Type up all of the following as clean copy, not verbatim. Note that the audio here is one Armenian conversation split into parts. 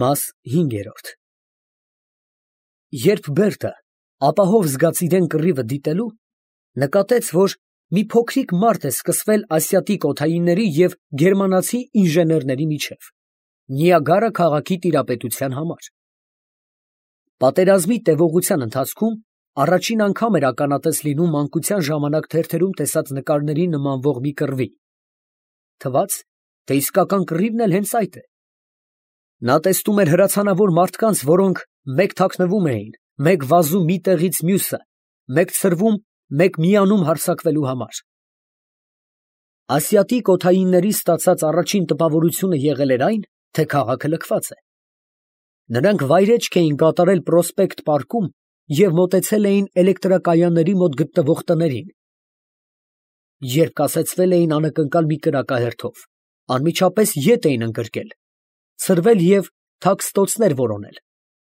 Մաս 5։ Երբ Բերտը ապահով զգաց իրան կռիվը դիտելու, նկատեց, որ մի փոքրիկ մարդ է սկսվել ասիատիկ օդայինների և գերմանացի ինժեներների միջև, Նիագարա քաղաքի տիրապետության համար։ Պատերազմի տևողության ընթացքում առաջին անգամ էր ականատես լինում մանկության ժամանակ թերթերում տեսած նկարների նմանվող մի կռվի։ Թվաց, թե իսկական կռիվն էլ հենց այդ է։ Նա տեսնում էր հրացանավոր մարդկանց, որոնք մեկ թաքնվում էին, մեկ վազում մի տեղից մյուսը, մեկ ցրվում, մեկ միանում հարձակվելու համար։ Ասիատիկ օդայինների ստացած առաջին տպավորությունը եղել էր այն, թե քաղաքը լքված է։ Նրանք վայրէջք էին կատարել Պրոսպեկտ պարկում և մոտեցել էին էլեկտրակայանների մոտ գտնվող տներին։ Երբ կասեցվել էին անակնկալ մի կրակահերթով, անմիջապես ետ էին ընկրկել, ցրվել և թաքստոցներ որոնել,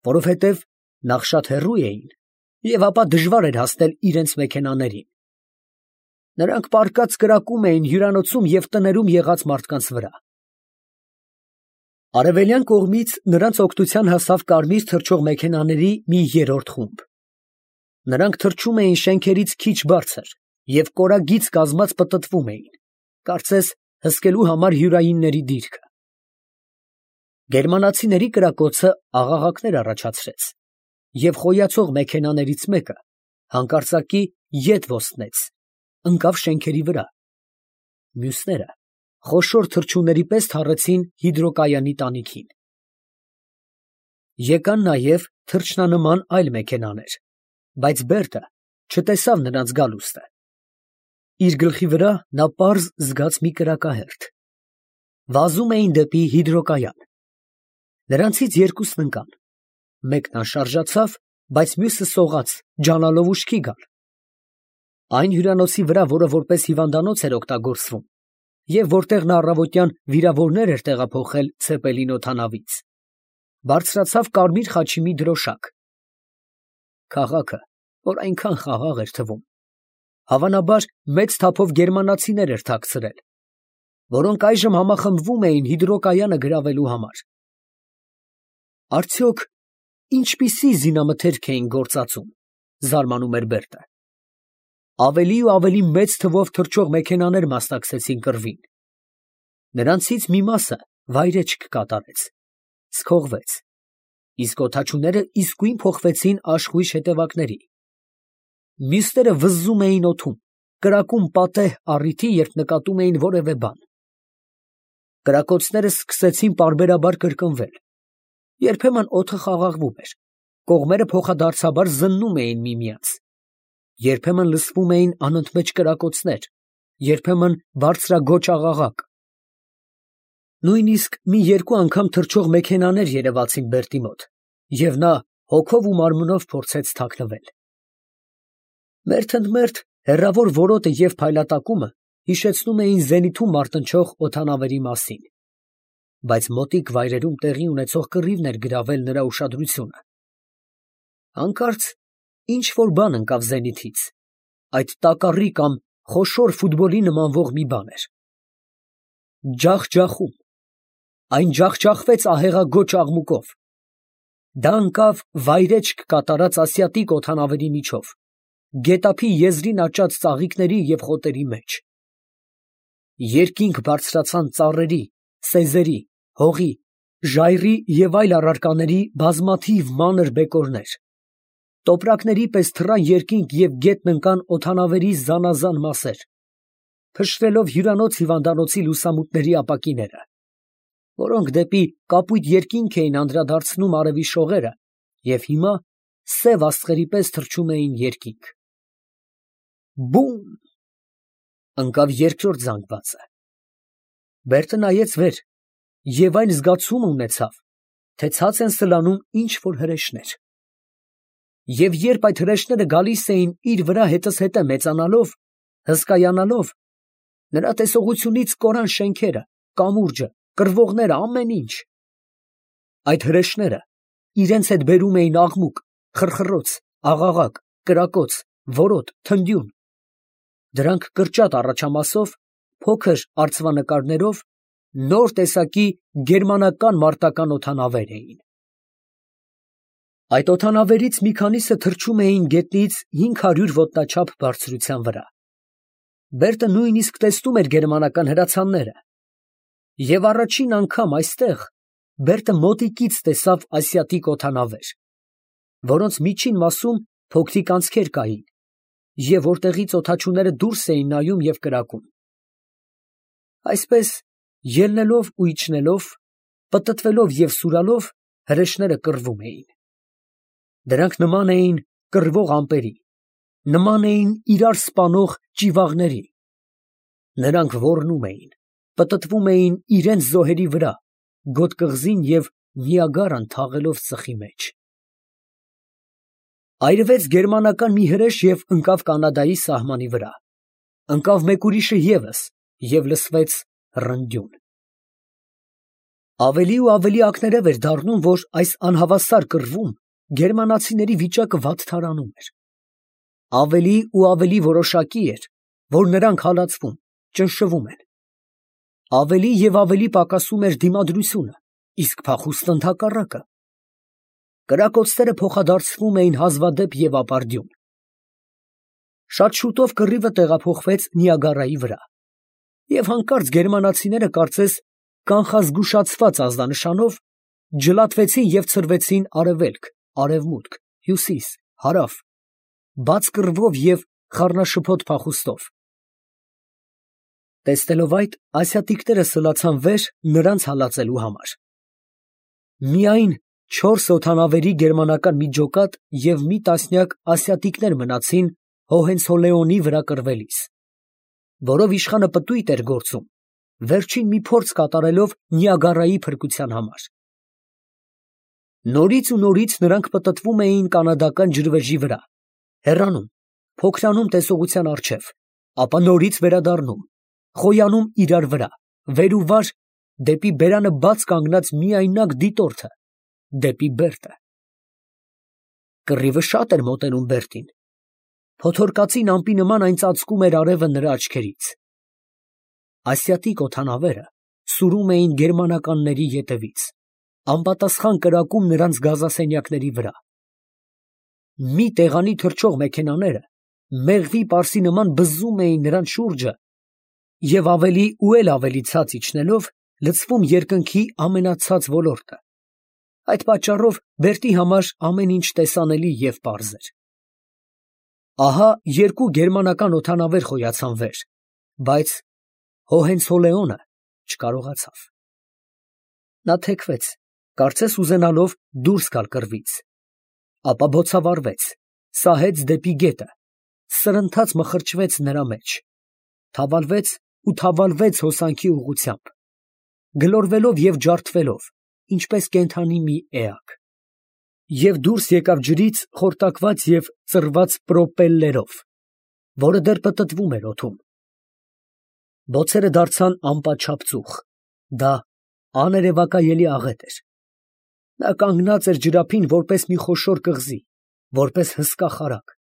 որովհետև նախ շատ հեռու էին, և ապա դժվար էր հասնել իրենց մեքենաներին։ Նրանք պառկած կրակում էին հյուրանոցում և տներում եղած մարդկանց վրա։ Արևելյան կողմից նրանց օգնության հասավ կարմիր թռչող մեքենաների մի երրորդ խումբ։ Նրանք թռչում էին շենքերից քիչ բարձր և կորագիծ կազմած պտտվում էին, կարծես հսկելու համար հյուրայինների դիրքը։ Գերմանացիների կրակոցը աղաղակներ առաջացրեց, և խոյացող մեքենաներից մեկը հանկարծակի ետ ոստնեց, ընկավ շենքերի վրա։ Մյուսները խոշոր թռչունների պես թռեցին հիդրոկայանի տանիքին։ Եկան նաև թռչնանման այլ մեքենաներ, բայց Բերտը չտեսավ նրանց գալուստը։ Իր գլխի վրա նա պարզ զգաց մի կրակահերթ։ Վազում էին դեպի հիդրոկայան։ Նրանցից երկուսն ընկան։ Մեկն անշարժացավ, բայց մյուսը սողաց, ջանալով ուշքի գալ։ Այն հյուրանոցի վրա, որը որպես հիվանդանոց էր օգտագործվում, և որտեղ նա առավոտյան վիրավորներ էր տեղափոխել Ցեպելին օդանավից, բարձրացավ կարմիր խաչի մի դրոշակ։ Քաղաքը, որ այնքան խաղաղ էր թվում, հավանաբար մեծ թափով գերմանացիներ էր թաքցրել, որոնք այժմ համախմբվում էին հիդրոկայանը գրավելու համար։ Արդյոք ինչպիսի զինամթերք էին գործածում, զարմանում էր Բերտը։ Ավելի ու ավելի մեծ թվով թռչող մեքենաներ մասնակցեցին կռվին։ Նրանցից մի մասը վայրէջք կատարեց, սքողվեց, իսկ օդաչուները իսկույն փոխվեցին աշխույժ հետևակների։ Մյուսները վզզում էին օդում, կրակում պատեհ առիթի, երբ նկատում էին որևէ բան։ Կրակոցները սկսեցին պարբերաբար կրկնվել։ Երբեմն օդը խաղաղվում էր, կողմերը փոխադարձաբար զննում էին միմյանց։ Երբեմն լսվում էին անընդմեջ կրակոցներ, երբեմն բարձրագոչ աղաղակ։ Նույնիսկ մի երկու անգամ թռչող մեքենաներ երևացին Բերտի մոտ, և նա հոգով ու մարմնով փորձեց թաքնվել։ Մերթընդմերթ հեռավոր որոտը և փայլատակումը հիշեցնում էին զենիթում մարտնչող օդանավերի մասին, բայց մոտիկ վայրերում տեղի ունեցող կռիվն էր գրավել նրա ուշադրությունը։ Հանկարծ ինչ֊որ բան ընկավ զենիթից, այդ տակառի կամ խոշոր ֆուտբոլի նմանվող մի բան էր։ Ջախջախում, այն ջախջախվեց ահեղագոչ աղմուկով։ Դա ընկավ վայրէջք կատարած ասիատիկ օդանավերի միջով, գետափի եզրին աճած ծաղիկների և խոտերի մեջ։ Երկինք բարձրացան ծառերի, սեզերի, հողի, ժայռի և այլ առարկաների բազմաթիվ մանր բեկորներ։ Տոպրակների պես թռան երկինք և գետն ընկան օդանավերի զանազան մասեր, փշրելով հյուրանոց֊հիվանդանոցի լուսամուտների ապակիները, որոնք դեպի կապույտ երկինք էին անդրադարձնում արևի շողերը և հիմա սև աստղերի պես թռչում էին երկինք։ Բում… ընկավ երկրորդ զանգվածը։ Բերտը նայեց վեր և այն զգացումը ունեցավ, թե ցած են սլանում ինչ֊որ հրեշներ։ Եվ երբ այդ հրեշները գալիս էին իր վրա հետզհետե մեծանալով, հսկայանալով, նրա տեսողությունից կորան շենքերը, կամուրջը, կռվողները, ամեն ինչ։ Այդ հրեշները իրենց հետ բերում էին աղմուկ, խռխռոց, աղաղակ, կրակոց, որոտ, թնդյուն։ Դրանք կրճատ առաջամասով, փոքր արծվանկարներով Նոր տեսակի գերմանական մարտական օդանավեր էին։ Այդ օդանավերից մի քանիսը թռչում էին գետնից 500 ոտնաչափ բարձրության վրա։ Բերտը նույնիսկ տեսնում էր գերմանական հրացանները։ Եվ առաջին անգամ այստեղ Բերտը մոտիկից տեսավ ասիատիկ օդանավեր, որոնց միջին մասում փոքրիկ անցքեր կային, և որտեղից օդաչուները դուրս էին նայում և կրակում։ Այսպես, ելնելով ու իջնելով, պտտվելով և սուրալով, հրեշները կռվում էին։ Դրանք նման էին կռվող ամպերի, նման էին իրար սպանող ճիվաղների։ Նրանք ոռնում էին, պտտվում էին իրենց զոհերի վրա, գոտ կղզին և Նիագարան թաղելով ծխի մեջ։ Այրվեց գերմանական մի հրեշ և ընկավ Կանադայի սահմանի վրա։ Ընկավ մեկ ուրիշը ևս և լսվեց ռնդյուն։ Ավելի ու ավելի ակներև էր դառնում, որ այս անհավասար կռվում գերմանացիների վիճակը վատթարանում էր։ Ավելի ու ավելի որոշակի էր, որ նրանք հալածվում, ճնշվում են։ Ավելի և ավելի պակասում էր դիմադրությունը, իսկ փախուստը ընդհակառակը։ Կրակոցները փոխադարձվում էին հազվադեպ և ապարդյուն։ Շատ շուտով կռիվը տեղափոխվեց Նիագարայի վրա, և հանկարծ գերմանացիները կարծես կանխազգուշացված ազդանշանով ջլատվեցին և ցրվեցին արևելք, արևմուտք, հյուսիս, հարավ, բաց կռվով և խառնաշփոթ փախուստով։ Տեսնելով այդ, ասիատիկները սլացան վեր նրանց հալածելու համար։ Միայն 4 օդանավերի գերմանական մի ջոկատ և մի տասնյակ ասիատիկներ մնացին Հոհենցոլեոնի վրա կռվելիս, որով իշխանը պտույտ էր գործում, վերջին մի փորձ կատարելով Նիագարայի փրկության համար։ Նորից ու նորից նրանք պտտվում էին կանադական ջրվեժի վրա, հեռանում, փոքրանում տեսողության առջև, ապա նորից վերադառնում, խոյանում իրար վրա, վեր ու վար, դեպի բերանը բաց կանգնած միայնակ դիտորդը, դեպի Բերտը։ Կռիվը շատ էր մոտենում Բերտին։ Փոթորկածին ամպի նման այն ծածկում էր արևը նրա աչքերից։ Ասիատիկ օդանավերը սուրում էին գերմանականների ետևից, անպատասխան կրակում նրանց գազասենյակների վրա։ Մի տեղանի թռչող մեքենաները մեղվի պարսի նման բզզում էին նրանց շուրջը և ավելի ու ավելի ցած իջնելով լցվում երկնքի ամենացած ոլորտը։ Այդ պատճառով Բերտի համար ամեն ինչ տեսանելի և պարզ էր։ Ահա երկու գերմանական օդանավեր խոյացան վեր, բայց Հոհենցոլեոնը չկարողացավ։ Նա թեքվեց, կարծես ուզենալով դուրս գալ կռվից, ապա բոցավառվեց, սահեց դեպի գետը, սրընթաց մխրճվեց նրա մեջ, թավալվեց ու թավալվեց հոսանքի ուղղությամբ, գլորվելով և ջարդվելով, ինչպես կենդանի մի էակ, և դուրս եկավ ջրից խորտակված և ծռված պրոպելլերով, որը դեռ պտտվում էր օդում։ Բոցերը դարձան անպատշաճ ծուխ, դա աներևակայելի աղետ էր։ Նա կանգնած էր ջրափին որպես մի խոշոր կղզի, որպես հսկա խարակ,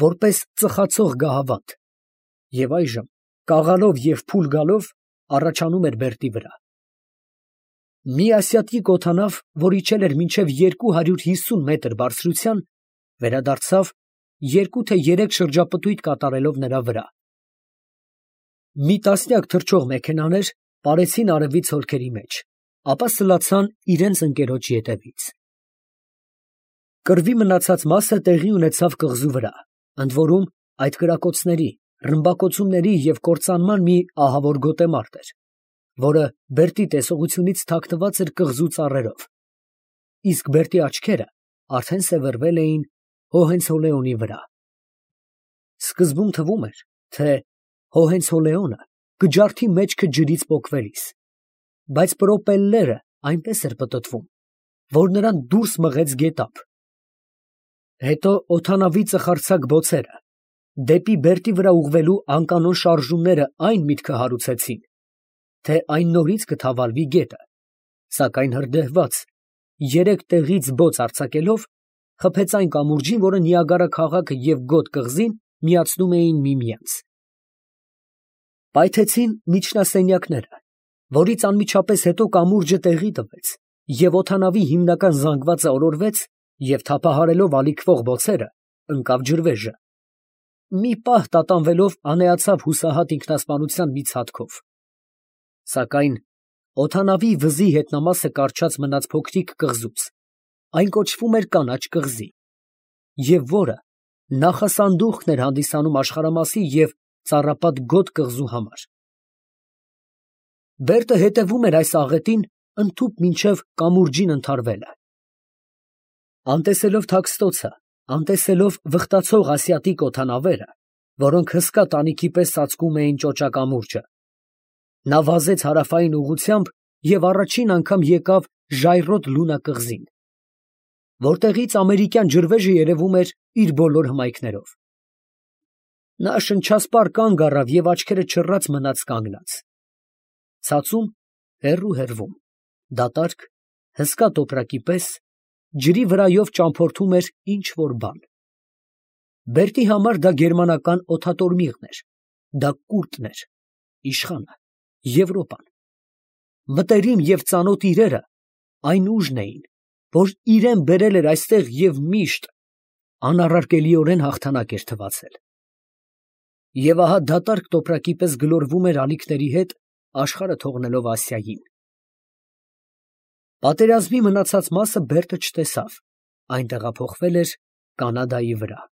որպես ծխացող գահավանդ, և այժմ, կաղալով և փուլ գալով, առաջանում էր Բերտի վրա։ Մի ասիատիկ օդանավ, որ իջել էր մինչև 250 մետր բարձրության, վերադարձավ 2 թե 3 շրջապտույտ կատարելով նրա վրա։ Մի տասնյակ թռչող մեքենաներ պարեցին արևի ցոլքերի մեջ, ապա սլացան իրենց ընկերոջ ետևից։ Կռվի մնացած մասը տեղի ունեցավ կղզու վրա, ընդ որում այդ կրակոցների, ռմբակոծումների և կործանման մի ահավոր գոտեմարտ էր, որը Բերտի տեսողությունից թաքնված էր կղզու ծառերով, իսկ Բերտի աչքերը արդեն սևեռվել էին Հոհենցոլեոնի վրա։ Սկզբում թվում էր, թե Հոհենցոլեոնը կջարդի մեջքը ջրից պոկվելիս, բայց պրոպելլերը այնպես էր պտտվում, որ նրան դուրս մղեց գետափ։ Հետո օդանավի ծխարձակ բոցերը, դեպի Բերտի վրա ուղղվելու անկանոն շարժումները այն միտքը հարուցեցին, թե այն նորից կթավալվի գետը, սակայն հրդեհված, 3 տեղից բոց արձակելով, խփեց այն կամուրջին, որը Նիագարա քաղաքը և Գոտ կղզին միացնում էին միմյանց։ Պայթեցին միջնասենյակները, որից անմիջապես հետո կամուրջը տեղի տվեց, և օդանավի հիմնական զանգվածը օրորվեց, և թափահարելով ալիքվող բոցերը, ընկավ ջրվեժը։ Մի պահ տատանվելով անեացավ հուսահատ ինքնասպանության մի ցատկով։ Սակայն օդանավի վզի հետնամասը կառչած մնաց փոքրիկ կղզուց, այն կոչվում էր Կանաչ կղզի, և որը նախասանդուղքն էր հանդիսանում աշխարհամասի և ծառապատ գոտ կղզու համար։ Բերտը հետևում էր այս աղետին ընդհուպ մինչև կամուրջին ընդհարվելը։ Անտեսելով թաքստոցը, անտեսելով վխտացող ասիատիկ օդանավերը, որոնք հսկա տանիքի պես ծածկում էին ճոճակամուրջը, նա վազեց հարավային ուղղությամբ և առաջին անգամ եկավ ժայռոտ Լունա կղզին, որտեղից ամերիկյան ջրվեժը երևում էր իր բոլոր հմայքներով։ Նա շնչասպառ կանգ առավ և աչքերը չռած մնաց կանգնած։ Ցածում, հեռվում, դատարկ, հսկա տոպրակի պես, ջրի վրայով ճամփորդում էր ինչ֊որ բան։ Բերտի համար դա գերմանական օդատորմիղն էր, դա կուռտն էր, իշխանը, Եվրոպան։ Մտերիմ և ծանոթ իրերը այն ուժն էին, որ իրան բերել էր այստեղ և միշտ անառարկելիորեն հաղթանակ էր թվացել։ Եվ ահա դատարկ տոպրակի պես գլորվում էր ալիքների հետ, աշխարհը թողնելով Ասիային։ Պատերազմի մնացած մասը Բերտը չտեսավ, այն տեղափոխվել էր Կանադայի վրա։